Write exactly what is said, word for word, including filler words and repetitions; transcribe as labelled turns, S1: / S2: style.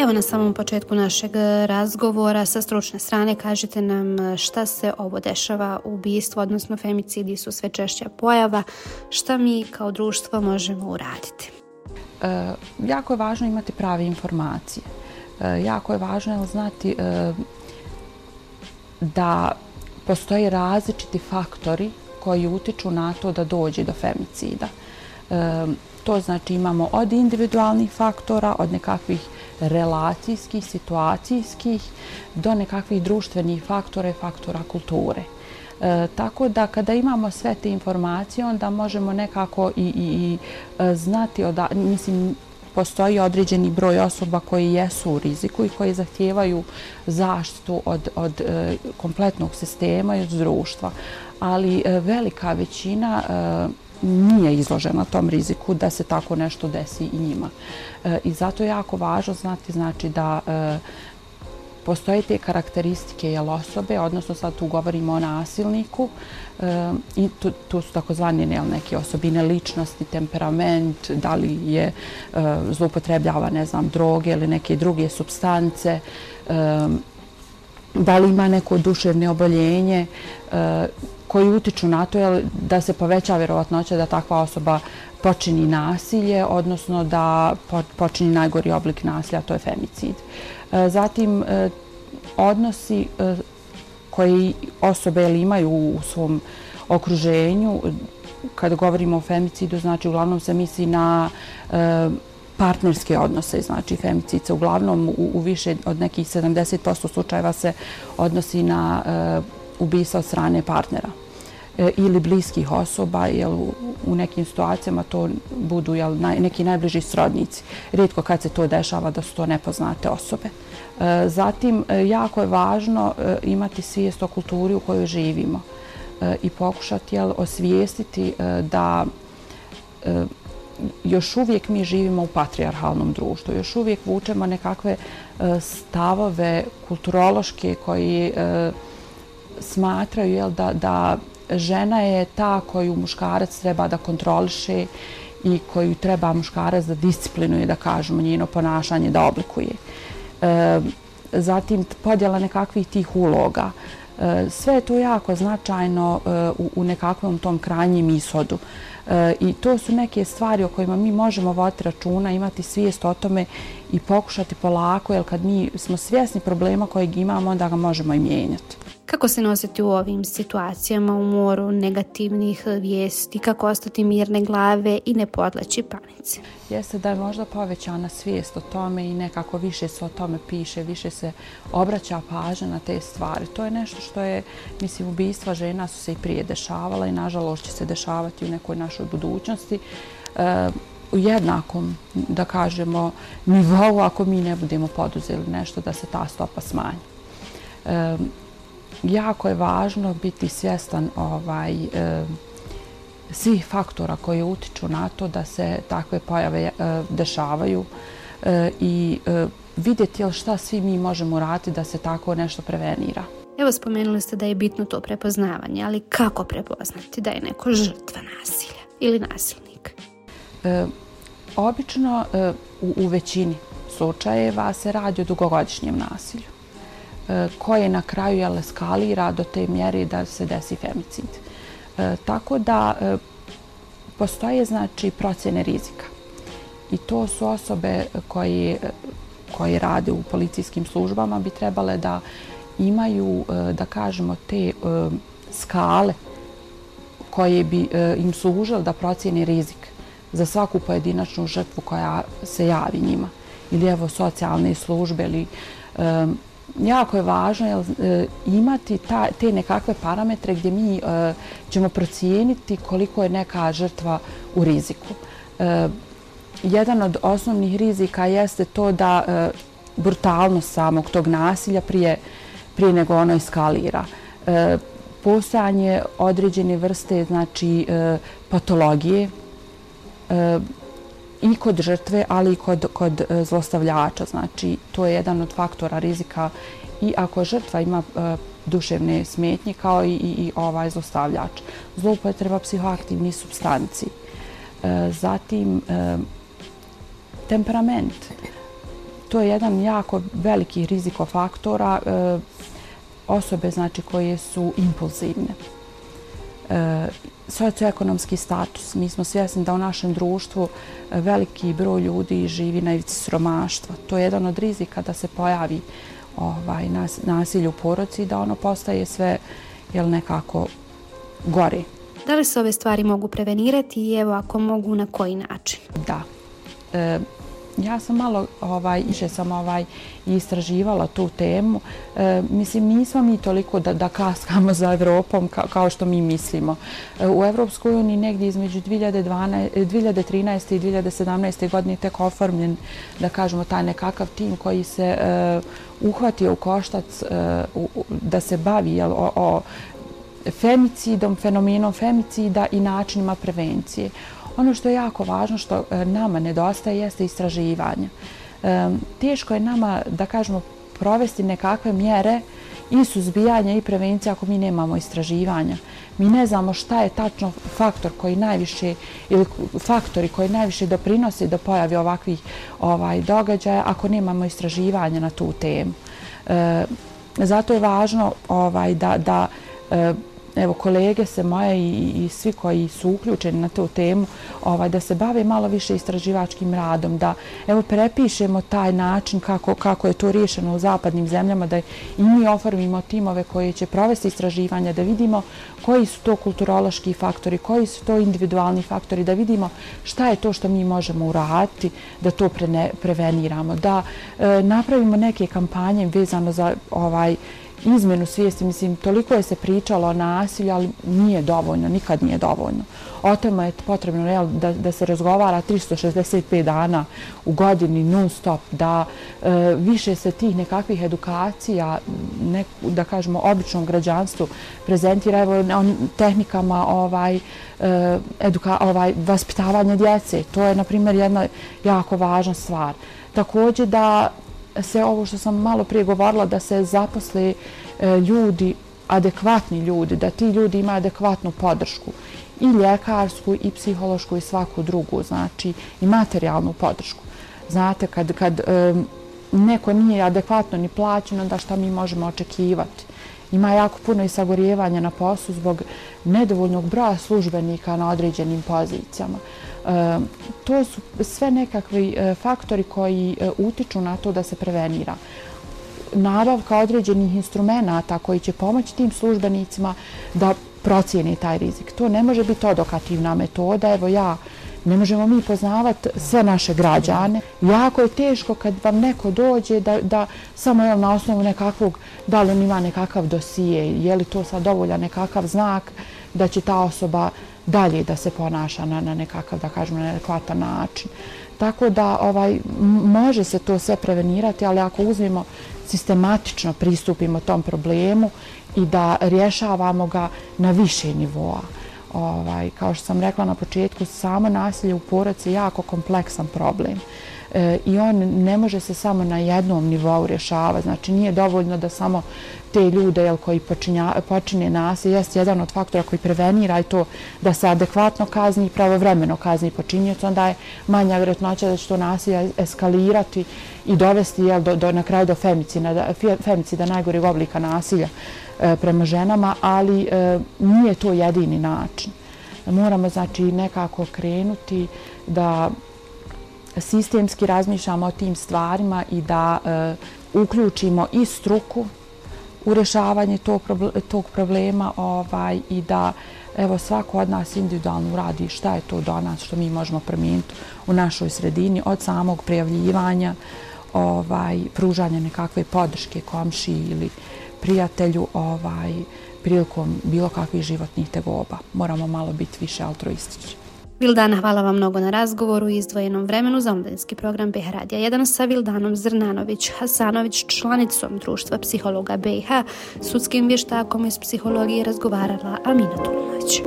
S1: Evo na samom početku našeg razgovora sa stručne strane kažite nam šta se ovo dešava, ubistvo, odnosno femicidi su sve češća pojava, šta mi kao društvo možemo uraditi?
S2: E, jako je važno imati prave informacije. E, jako je važno znati e, da postoje različiti faktori koji utiču na to da dođe do femicida. E, to znači imamo od individualnih faktora, od nekakvih relacijskih, situacijskih, do nekakvih društvenih faktora i faktora kulture. E, tako da kada imamo sve te informacije, onda možemo nekako i, i, i znati, oda, mislim, postoji određeni broj osoba koji jesu u riziku i koji zahtijevaju zaštitu od, od e, kompletnog sistema i od društva. Ali e, velika većina e, nije izložena tom riziku da se tako nešto desi i njima. E, I zato je jako važno znati znači, da e, postoje te karakteristike jel, osobe, odnosno sad tu govorimo o nasilniku, e, i tu, tu su takozvane neke osobine ličnosti, temperament, da li je e, zloupotrebljava ne znam, droge ili neke druge supstance, e, da li ima neko duševno oboljenje, e, koji utiču na to jel, da se poveća vjerovatnoća da takva osoba počini nasilje, odnosno da počini najgori oblik nasilja, to je femicid. Zatim, odnosi koji osobe imaju u svom okruženju, kada govorimo o femicidu, znači uglavnom se misli na partnerske odnose, znači femicid se uglavnom u, u više od nekih sedamdeset posto slučajeva se odnosi na ubistva od strane partnera ili bliskih osoba, jer u nekim situacijama to budu jel, neki najbliži srodnici. Rijetko kad se to dešava da su to nepoznate osobe. Zatim, jako je važno imati svijest o kulturi u kojoj živimo i pokušati jel, osvijestiti da još uvijek mi živimo u patrijarhalnom društvu, još uvijek vučemo nekakve stavove kulturološke koji smatraju jel, da, da žena je ta koju muškarac treba da kontroliše i koju treba muškarac da disciplinuje, da kažemo, njeno ponašanje, da oblikuje. E, zatim podjela nekakvih tih uloga. E, sve je to jako značajno e, u, u nekakvom tom krajnjem ishodu. E, I to su neke stvari o kojima mi možemo voditi računa, imati svijest o tome i pokušati polako, jer kad mi smo svjesni problema kojeg imamo, onda ga možemo i mijenjati.
S1: Kako se nositi u ovim situacijama u moru negativnih vijesti, kako ostati mirne glave i ne podleći panici?
S2: Jeste da je možda povećana svijest o tome i nekako više se o tome piše, više se obraća pažnja na te stvari. To je nešto što je, mislim, ubistva žena su se i prije dešavala i nažalost će se dešavati u nekoj našoj budućnosti. E, u jednakom, da kažemo, nivou ako mi ne budemo poduzeli nešto da se ta stopa smanji. E, Jako je važno biti svjestan ovaj, e, svih faktora koji utiču na to da se takve pojave e, dešavaju e, i e, vidjeti jel, šta svi mi možemo raditi da se tako nešto prevenira.
S1: Evo, spomenuli ste da je bitno to prepoznavanje, ali kako prepoznati da je neko žrtva nasilja ili nasilnik?
S2: E, obično e, u, u većini slučajeva se radi o dugogodišnjem nasilju koje na kraju jel, eskalira do te mjere da se desi femicid. E, tako da e, postoje znači procjene rizika. I to su osobe koje, koje rade u policijskim službama bi trebale da imaju, e, da kažemo, te e, skale koje bi e, im služile da procjene rizik za svaku pojedinačnu žrtvu koja se javi njima. Ili evo socijalne službe ili e, jako je važno jel, imati ta, te nekakve parametre gdje mi e, ćemo procijeniti koliko je neka žrtva u riziku. E, jedan od osnovnih rizika jeste to da e, brutalnost samog tog nasilja prije, prije nego ono eskalira. E, postojanje određene vrste znači, e, patologije e, i kod žrtve, ali i kod, kod zlostavljača. Znači, to je jedan od faktora rizika i ako žrtva ima e, duševne smetnje kao i, i, i ovaj zlostavljač. Zloupotreba psihoaktivnih supstanci. E, zatim, e, temperament. to je jedan jako veliki rizikofaktora e, osobe znači koje su impulzivne. E, socioekonomski status. Mi smo svjesni da u našem društvu veliki broj ljudi živi na ivici siromaštva. To je jedan od rizika da se pojavi ovaj, nas, nasilje u porodici i da ono postaje sve jel, nekako gore.
S1: Da li se ove stvari mogu prevenirati i evo ako mogu na koji način?
S2: Da. E, ja sam malo ovaj, više sam ovaj, istraživala tu temu. E, mislim, nismo mi toliko da, da kaskamo za Evropom ka, kao što mi mislimo. E, u Evropskoj uniji negdje između dvije hiljade trinaeste i dvije hiljade sedamnaeste. godine tek oformljen, da kažemo, taj nekakav tim koji se e, uhvatio u koštac e, u, da se bavi jel, o, o femicidom, fenomenom femicida i načinima prevencije. Ono što je jako važno, što nama nedostaje, jeste istraživanje. E, teško je nama, da kažemo, provesti nekakve mjere i suzbijanja i prevencije ako mi nemamo istraživanja. Mi ne znamo šta je tačno faktor koji najviše ili faktori koji najviše doprinose do pojavi ovakvih ovaj, događaja ako nemamo istraživanja na tu temu. E, zato je važno ovaj, da, da e, evo kolege se moje i, i svi koji su uključeni na tu temu ovaj, da se bave malo više istraživačkim radom, da evo prepišemo taj način kako, kako je to riješeno u zapadnim zemljama, da i mi oformimo timove koji će provesti istraživanja, da vidimo koji su to kulturološki faktori, koji su to individualni faktori, da vidimo šta je to što mi možemo uraditi, da to prene, preveniramo, da e, napravimo neke kampanje vezano za ovaj izmjenu svijesti. Mislim, toliko je se pričalo o nasilju, ali nije dovoljno, nikad nije dovoljno. O tome je potrebno jel, da, da se razgovara tristo šezdeset pet dana u godini non stop, da e, više se tih nekakvih edukacija, ne, da kažemo, običnom građanstvu prezentira evo, on, tehnikama ovaj, e, eduka, ovaj, vaspitavanja djece. To je, na primjer, jedna jako važna stvar. Također da se ovo što sam malo prije govorila, da se zaposle e, ljudi, adekvatni ljudi, da ti ljudi imaju adekvatnu podršku i ljekarsku i psihološku i svaku drugu, znači i materijalnu podršku. Znate, kad, kad e, neko nije adekvatno ni plaćen, onda šta mi možemo očekivati? Ima jako puno i sagorijevanja na poslu zbog nedovoljnog broja službenika na određenim pozicijama. E, to su sve nekakvi e, faktori koji e, utiču na to da se prevenira. Nabavka određenih instrumenata koji će pomoći tim službenicima da procijeni taj rizik. To ne može biti odokativna metoda. Evo ja, ne možemo mi poznavati sve naše građane. Jako je teško kad vam neko dođe da, da samo jel, na osnovu nekakvog, da li on ima nekakav dosije, je li to sad dovoljan nekakav znak da će ta osoba dalje da se ponaša na, na nekakav, da kažemo, na adekvatan način. Tako da ovaj, može se to sve prevenirati, ali ako uzmemo sistematično pristupimo tom problemu i da rješavamo ga na više nivoa. Ovaj, kao što sam rekla na početku, samo nasilje u porodici je jako kompleksan problem. E, i on ne može se samo na jednom nivou rješavati. Znači nije dovoljno da samo te ljude jel, koji počinja, počine nasilje, jest jedan od faktora koji prevenira i to da se adekvatno kazni i pravovremeno kazni počinioca, onda je manja vjerojatnoća da će to nasilje eskalirati i dovesti jel, do, do, na kraju do femicida, femicida najgoreg oblika nasilja e, prema ženama, ali e, nije to jedini način. Moramo znači nekako krenuti da sistemski razmišljamo o tim stvarima i da e, uključimo i struku u rješavanje tog, tog problema ovaj, i da evo, svako od nas individualno uradi šta je to do nas što mi možemo promijeniti u našoj sredini, od samog prijavljivanja, ovaj, pružanja nekakve podrške komšiji ili prijatelju ovaj, prilikom bilo kakvih životnih tegoba. Moramo malo biti više altruistični.
S1: Vildana, hvala vam mnogo na razgovoru i izdvojenom vremenu za omladinski program B H Radija jedan sa Vildanom Zrnanović-Hasanović, članicom Društva psihologa B i H, sudskim vještakom iz psihologije razgovarala Amina Tulunović.